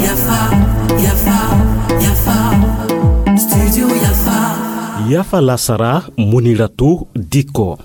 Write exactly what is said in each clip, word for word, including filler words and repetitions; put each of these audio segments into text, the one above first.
Yafa, yafa, yafa. Studio yafa. Yafa lasara, Muniratu Diko.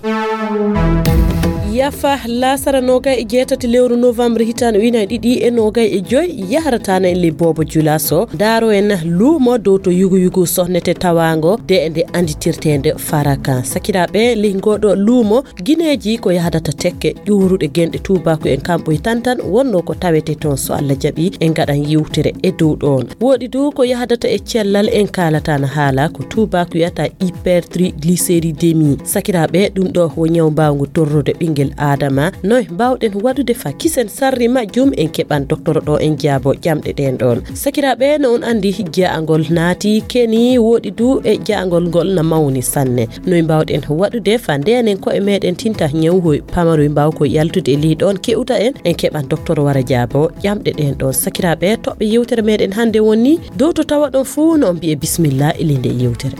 Yafa lasara nogay e jeetati lewru novembre hitaande ujunaaji ɗiɗi e nogay e joy, yahrata na en le boobo julaso. Daaro en luumo dow to yugu yugu sohnete tawaango de nde anditirteende Faraka. Sakiraaɓe, ley ngoɗo luumo, gineeji ko yahdata tekke ƴuuruɗe genɗe tuubaaku en kamɓoy tan tan wonno ko tawete toon, so Allah jaɓi en ngaɗan yewtere e dow ɗoon. Woɗi du ko yahdata e cellal, en kaalata na haala ko tuubaaku wiyata hypertriglycéridémie. Sakiraaɓe, ɗum ɗo wo ñaw mbaawngu torrude ɓinngel Aadama. Noy mbaawɗen waɗude fa kisen sarri majjum? En keɓan doktoro ɗo en jaabo ƴamɗe ɗeen ɗoon. Sakiraaɓe, no on anndi, ja'angol naati keni woɗi du e ja'angol ngol na mawni sanne. Noy mbaawɗen waɗude fa ndenen ko'e meɗen tinta ñawhoy pamaroy mbaawkoy yaltude e ley ɗoon ke'uta en? En keɓan doktoro wara jaabo ƴamɗe ɗeen ɗoon. Sakiraaɓe, toɓɓe yewtere meɗen hannde woni dow to tawa ɗon fuu no on mbi'e bismillah e ley nde yewtere.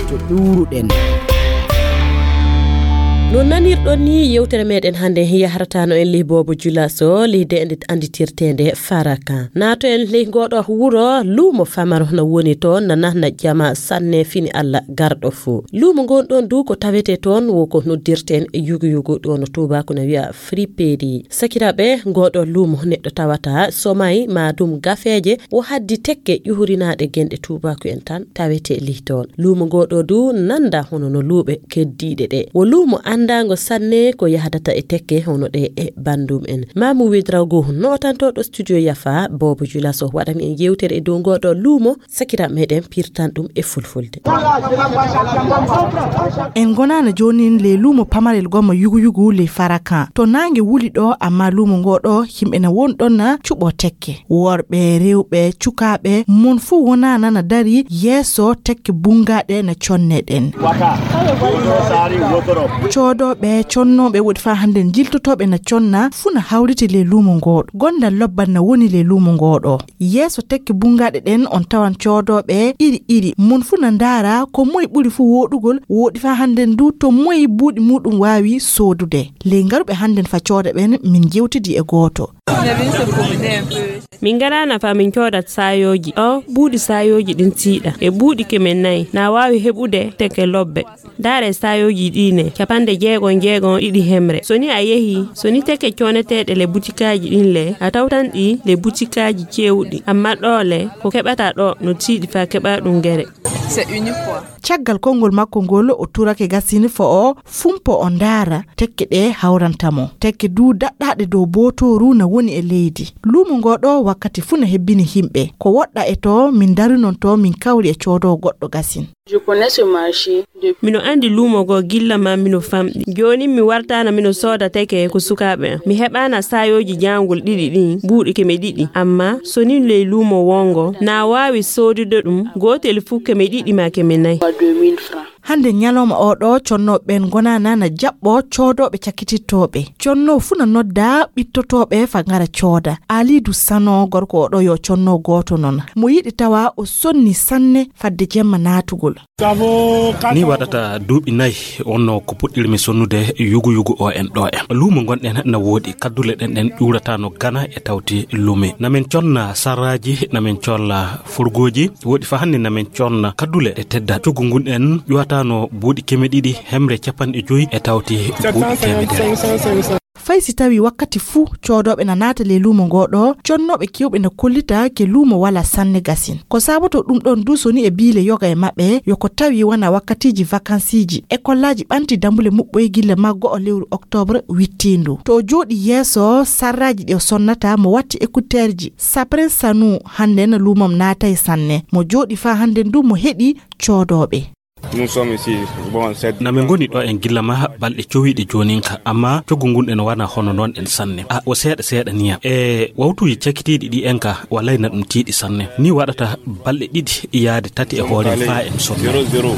To ɗuuruɗen. No nanirɗon ni, yewtere meɗen hannde yahrata no en ley boobo julaso, ley de nde anditirteende Faraka. Naato en ley ngoɗo wuro, luumo famaro na woni toon, na nahna jama sanne fini Allah garɗo fuu. Luumo ngon ɗon du ko tawete toon wo ko noddirten e yugu yugu, ɗo no tuubaaku na wi'a friperie. Sakiraaɓe, ngoɗo luumo neɗɗo tawata somay ma dum gafeeje wo haddi tekke ƴuhurinaaɗe genɗe tuubaaku en tan tawete ley toon. Luumo ngoɗo du nanda hono no luuɓe keddiiɗe ɗe. Wo luumo andaango sanne ko yahdata e tekke hono ɗe e bandum en. Mamu Wedrago, nootantooɗo studio Yafa, boobo julaso, waɗani en yewtere e dow ngoɗo luumo. Sakiraaɓe meɗen pirtan ɗum e fulfulde. En ngonaana joonin ley luumo pamarel gomma yugu yugu ley Farakan. To naange wuli ɗo, amma luumo ngo ɗo, yimɓe na won ɗon na cuɓo tekke. Worɓe, rewɓe, cukaaɓe, mon fuu wonaana na dari yeeso tekke bunngaɗe na conne ɗen. Coodooɓe, connooɓe, woɗi faa hannden jiltotooɓe na conna, fuu na hawriti ley luumo ngo ɗo. Gondal lobbal na woni ley luumo ngo ɗo. Yeeso tekke bunngaɗe ɗen, on tawan coodooɓe iri iri. Mon fuu na ndaara ko moy ɓuri fuu wooɗugol, wooɗi faa hannden du to moy buuɗi muuɗum waawi soodude. Ley ngaruɓe hannden fa cooda ɓen, min jewtidi e gooto. Min ngaraana fa min coodat saayooji. O buuɗi saayooji ɗin tiiɗa. E buuɗi keme nayi, na waawi heɓude tekke lobbe. Ndaare saayooji ɗii ne, capanɗe jeegom jeegom ɗiɗi hemre. So ni a yehi, so ni tekke cooneteeɗe le butikaaji ɗin le, a tawtan ɗi le butikaaji cewɗi. Amma ɗoo le, ko keɓata ɗoo no tiiɗi faa keɓa ɗum gere. Caggal konngol makko ngol, o turake gasini fo o fumpo o ndaara tekke ɗe hawranta mo. Tekke du daɗɗaaɗe dow bootooru na woni e leydi. Luumo ngo ɗo wakkati fuu na hebbini himɓe. Ko woɗɗa e to min darunon to min kawri e coodo goɗɗo gasin. Je connais ce marché depuis. Mino anndi luumo goo gilla maa mino famɗi. Jooni mi wartaana mino sooda teke ko sukaaɓe am. Mi heɓaana saayooji jaangol ɗiɗi ɗin buuɗi keme ɗiɗi. Amma so nii ley luumo wongo na waawi soodude ɗum gootel fuu keme ɗiɗi maa keme nayi. Deux mille francs. Hannde ñalawma oo ɗoo, connooɓe ɓeen ngonaana na jaɓɓoo coodooɓe cakkitittooɓe. Connoo fuu na nodda ɓittotooɓe fa ngara cooda. Aliidu Sano, gorko oo ɗoo yo connoo gooto non. Mo yiɗi tawa o sonni sanne fadde jemma naatugol. Ni waɗata duuɓi nayi wonno ko puɗɗirmi sonnude yugu yugu o en ɗo en. Luumo ngonɗen na woodi, kaddule ɗen ɗen ƴuurataano gana e tawti lume. Na min conna sarraaji, na min conna furgooji, woodi fa hannde na min conna kaddule e tedda. Coggu ngun en ƴuwataano buuɗi keme ɗiɗi hemre capanɗe joyi e tawti buuɗi temedere. Fay si tawi wakkati fuu coodooɓe na naata ley luumo ngoo ɗoo, connooɓe keewɓe na kollita ke luumo walaa sanne gasin. Ko saabotoo ɗum ɗoon duu, so ni e biile yoga e maɓɓe, yo ko tawi wona wakkatiiji vakansiiji. Ekollaaji ɓanti dambule muɓɓoy gilla maggo o lewru oktoobre wittiindu. To o jooɗi yeeso sarraaji ɗi o sonnata, mo watti ekuteerji. Sapren Sanu hannde na luumam naatay sanne. Mo jooɗi faa hannde duu mo heɗi coodooɓe. Nous sommes ici. Bon, c'est Na min ngoni ɗo en gilla ma balɗe cowiiɗe joonin ka, amma coggu ngun en wana hono noon en sanne. A o seeɗa seeɗa niyam. E wawtuuji cakitiiɗi ɗi en ka, walay na ɗum tiiɗi sanne. Ni waɗata balɗe ɗiɗi yaade tati e hoore faa en sonno. Zéro, zéro.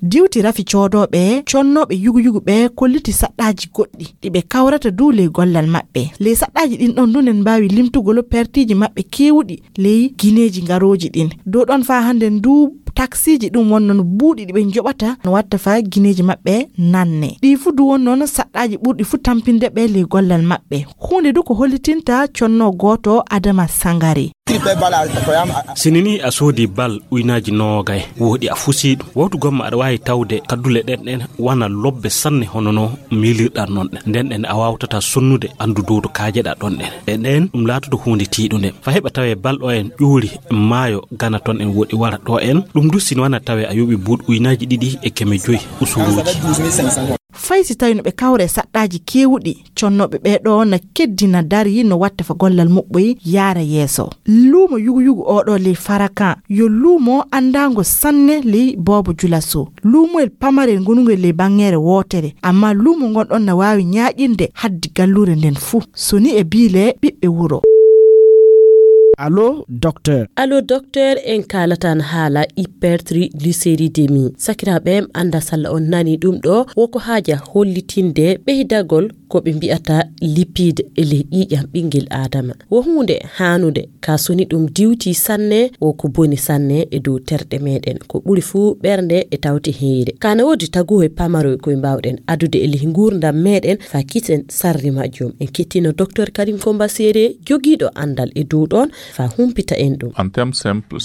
Diwti rafi coodooɓe, connooɓe yugu yugu ɓe kolliti saɗɗaaji goɗɗi ɗi ɓe kawrata duu ley gollal maɓɓe. Ley saɗɗaaji ɗin ɗon duu nen mbaawi limtugol pertiiji maɓɓe keewuɗi ley gineeji ngarooji ɗin. Dow ɗon faa hannden duu taksiiji ɗum won noon buuɗi ɗi ɓe njoɓata no watta fa gineeji maɓɓe nanne. Ɗi fuu du won noon saɗɗaaji ɓurɗi fuu tampinde ɓe ley gollal maɓɓe. Huunde du ko hollitinta conno gooto Adama Sangare. Sinini a soodi bal uynaaji noogay, woɗi a fusi ɗum. Wawtu gomma aɗa waawi tawde kaddule ɗen ɗen wana lobbe sanne hono no miilirɗan noon ɗen. Nden ɗen a waawtata sonnude anndu dow to kaajeɗa ɗon ɗen. E ɗen ɗum laatoto huunde tiiɗunde. Fa heɓa tawee bal ɗo en ƴuuri maayo gana ton en woɗi wara ɗo en. Ɗum du sino wana tawee a yoɓi buuɗ uynaaji ɗiɗi e keme joyi usuruuji. Fay si tawi no ɓe kawra e saɗɗaaji keewuɗi, connooɓe ɓee ɗoo na keddina dari no watta fa gollal muɓɓoy yaara yeeso. Luumo yugu-yugu oo ɗoo ley Farakan yo luumo anndaango sanne ley Boobo Julaso. Luumoyel pamarel ngonungel ley baŋŋeere wootere, ammaa luumo ngon ɗon na waawi ñaaƴinde haddi galluure nden fuu. So ni e biile ɓiɓɓe wuro. Allo, docteur. Allo, docteur, en kaalatan haala hypertriglycéridémie. Sakiraaɓe, mi annda salla on nani ɗum ɗo, woko haaja hollitinde ɓeydagol ko ɓe mbi'ata lipide e ley ƴiiƴam ɓinngel Aadama. Wo huunde haanude, ka soni ɗum diwti sanne, wo ko boni sanne e dow terɗe meɗen. Ko ɓuri fuu ɓernde e tawti heyre. Kana woodi taguhoy pamaroy koy mbawɗen adude e ley nguurndam meɗen fa kisen sarri majjum. En kettino docteur Karim Komba Sere, jogiiɗo anndal e dow ɗon, fa humpita en ɗum.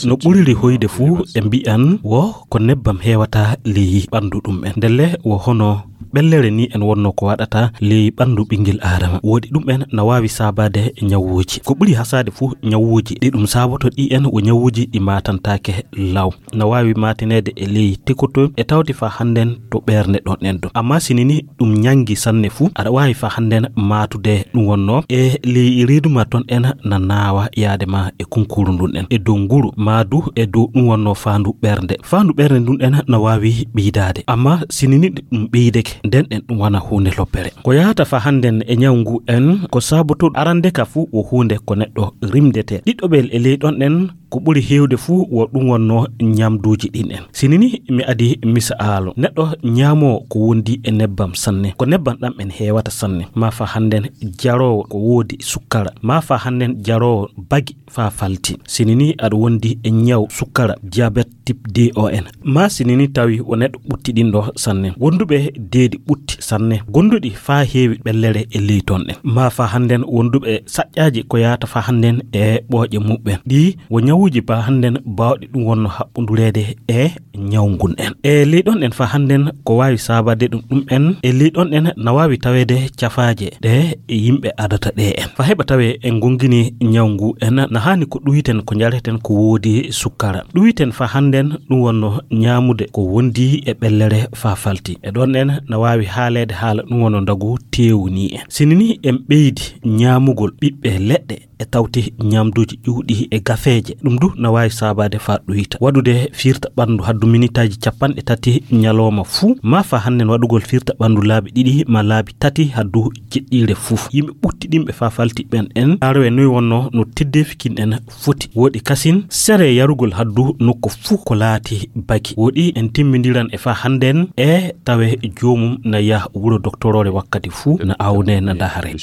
No ɓuriri hoyde fuu e mbi'an wo ko nebbam heewata ley ɓanndu ɗum en. Ndelle wo hono ɓellere ni en wonno ko waɗata ley ɓanndu ɓinngel Aadama. Woodi ɗum en na waawi saabaade ñawuuji. Ko ɓuri hasaade fuu ñawuuji ɗi ɗum saaboto ɗi en wo ñawuuji ɗi maatantaake law. Na waawi maatineede e ley tekotoy e tawti fa hannden to ɓernde ɗon en ɗo. Ammaa sini ni ɗum ñanngi sanne fuu, aɗa waawi fa hannden maatude ɗum wonno e ley reeduma ton en na naawa yaade ma e kunkuru ndun en. E dow nguru maa du e dow ɗum wonno faandu ɓernde. Faandu ɓernde ndun en na waawi ɓeydaade. Ammaa sini ni ɗum ɓeydeke, nden en ɗum wana huunde loppere. Ko yahata fa hannden e ñaw ngu en ko saaboto arande ka fuu wo huunde ko neɗɗo rimdete. Ɗiɗɗoɓel e ley ɗon en ko ɓuri heewde fuu wo ɗum wonno ñamduuji ɗin en. Sini ni mi adi misaalu. Neɗɗo ñaamoo ko wondi e nebbam sanne. Ko nebbam ɗam en heewata sanne. Maa fa hannden jaroowo ko woodi sukkara. Maa fa hannden jaroowo bagi fa falti. Sini ni aɗa wondi e ñaw sukkara, diabète type deux on. Maa sini ni tawi wo neɗɗo ɓutti ɗin ɗo sanne. Wonduɓe deedi ɓutti sanne. Gonduɗi fa heewi ɓellere e ley ton en. Maa fa hannden wonduɓe saƴƴaaji ko yahata fa hannden e ɓooƴe muɓɓen. Ɗi wo ñawuuji fa hannden baawɗi ɗum wonno haɓɓundureede e ñaw ngun en. E ley ɗon en fa hannden ko waawi saabaade ɗum ɗum en. E ley ɗon en na waawi taweede cafaaje ɗe yimɓe adata ɗe en. Fa heɓa tawee en gongini ñaw ngu en na haani ko ɗuwiten ko njareten ko woodi sukkara. Ɗuwiten fa hannden ɗum wonno ñaamude ko wondi e ɓellere fa falti. E ɗon en na waawi haaleede haala ɗum wonno ndagu teewu ni en. Sini ni en ɓeydi ñaamugol ɓiɓɓe leɗɗe e tawti ñamduuji ƴuwɗi e gafeeje. Ɗum du na waawi saabaade fa ɗuyta. Waɗude firta ɓanndu haddu minitaaji capanɗe tati ñalooma fuu, maa fa hannden waɗugol firta ɓanndu laabi ɗiɗi maa laabi tati haddu jeɗɗiire fuu. Yimɓe ɓutti ɗimɓe fa falti ɓen en, arowe noy wonno no teddeefi kin en foti. Woɗi kasin, sere yarugol haddu nokko fuu ko laati bagi. Woɗi en timmindiran e fa hannden e tawe joomum na yaha wuro doktoroore wakkati fuu na awne na dahare.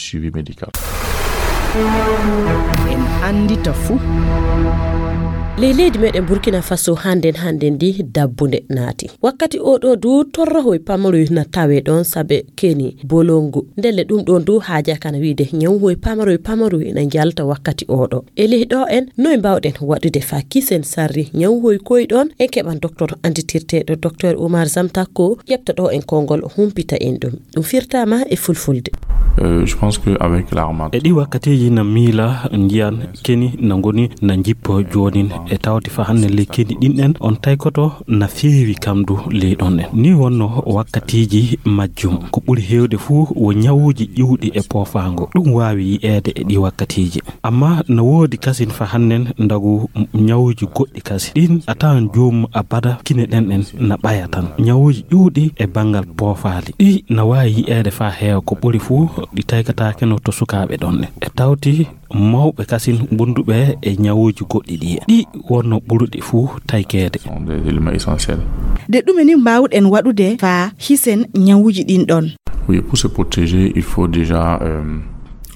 En anndita fuu. Ley leydi meɗen Burkina Faso hannden hannden ndi dabbunde naati. Wakkati o ɗo du torrohoy pamaroy na tawe ɗon sabe keni bolongu. Ndelle ɗum ɗon du haaja kana wiide ñawhoy pamaroy pamaroy na njalta wakkati o ɗo. E ley ɗo en noy mbawɗen waɗude fa kisen sarri ñawhoy koy ɗon en keɓan docteur anditirteɗo docteur Oumar Zamtako ƴefta ɗo en konngol humpita en ɗum. Ɗum firtaama e fulfulde. E ɗi wakkatiiji na miila njiyan keni na ngoni na njippo joonin e tawti fa hannde ley keni ɗin ɗen on taykoto na feewi kamdu ley ɗon ɗen. Ni wonno wakkatiiji majjum ko ɓuri heewde fuu wo ñawuuji ƴuwɗi e poofaango. Ɗum waawi yi'eede e ɗi wakkatiiji. Amma no woodi kasin fa hannden ndagu ñawuuji goɗɗi kasi. Ɗin a tawan joomum abada kine ɗen ɗen na ɓaya tan. Ñawuuji ƴuwɗi e banngal poofaali. Ɗi na waawi yi'eede fa heewa ko ɓuri fuu ɗi taykataake no to sukaaɓe ɗon ɗen. E tawti mawɓe kasin wonduɓe e ñawuuji goɗɗi ɗi. Ɗi wonno ɓuruɗi fuu taykeede. De ɗume ni mbaawɗen waɗude fa hisen ñawuuji ɗin ɗon? Oui, pour se protéger, il faut déjà euh,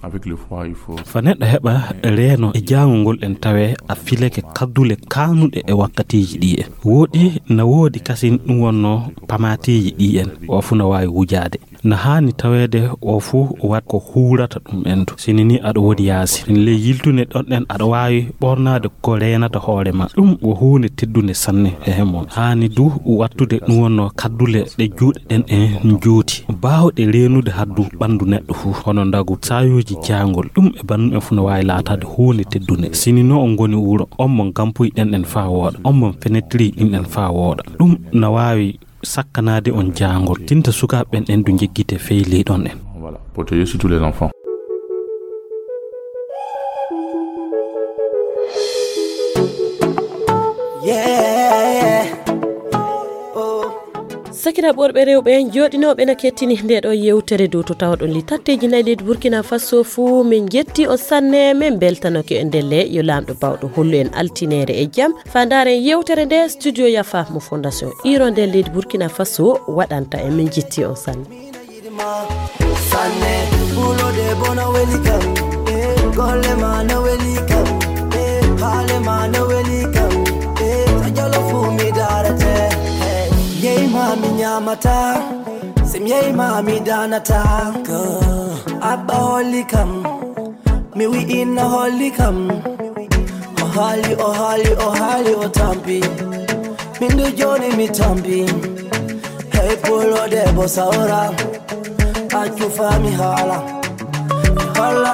Avec le froid, il faut. Fa neɗɗo heɓa reeno e jaangol ngol en tawe a fileke kaddule kaanuɗe e wakkatiiji ɗi en. Woɗi na woodi kasin ɗum wonno pamateeji ɗi en. O fu na waawi wujaade. Na haani taweede o fu wat ko huurata ɗum en du. Sini ni aɗa woodi yaasi. Sini ley yiltude ɗon ɗen aɗa waawi ɓornaade ko reenata hoore ma. Ɗum wo huunde teddunde sanne e hemon. Haani du wattude ɗum wonno kaddule ɗe juuɗe ɗen en njooti. Baawɗe reenude haddu ɓanndu neɗɗo fu. Hono ndagu saayooji jaangol. Ɗum e banndum en fu no waawi laataade huunde teddunde. Sini no on ngoni wuro, on mon gampuy ɗen ɗen faa wooɗa. On mon fenetiri ɗin ɗen faa wooɗa. Ɗum na waawi sakkanaade on jaangol. Tinta sukaaɓe ɓen ɗen du njeggite fey ley ɗon en. Voilà, protéger surtout les enfants. Sakiraaɓe worɓe rewɓe jooɗinooɓe na kettini nde ɗo yewtere dow to tawɗon li tatteeji nayi leydi Burkina Faso fuu. Min njetti on sanne, min mbeltanoke e ndelle yo Laamɗo baawɗo hollu en altineere e jam. Faa ndaaren yewtere nde studio Yafa mo Fondation Hirondelle leydi Burkina Faso waɗanta en. Min njetti on sanne. Sanne, ɓulo debbo no weli kam, eh, golle ma no weli kam, eh, haale ma no weli kam, eh, so jalo fuu mi daarete, eh, yehi ma mi ñaamata, si mi yehi ma mi daanata, ko abba holli kam, mi wi'inna holli kam, o haali, o haali, o haali, o tampi, min du jooni mi tampi, hey ɓulo debbo sawra. Accu faa mi haala, mi holla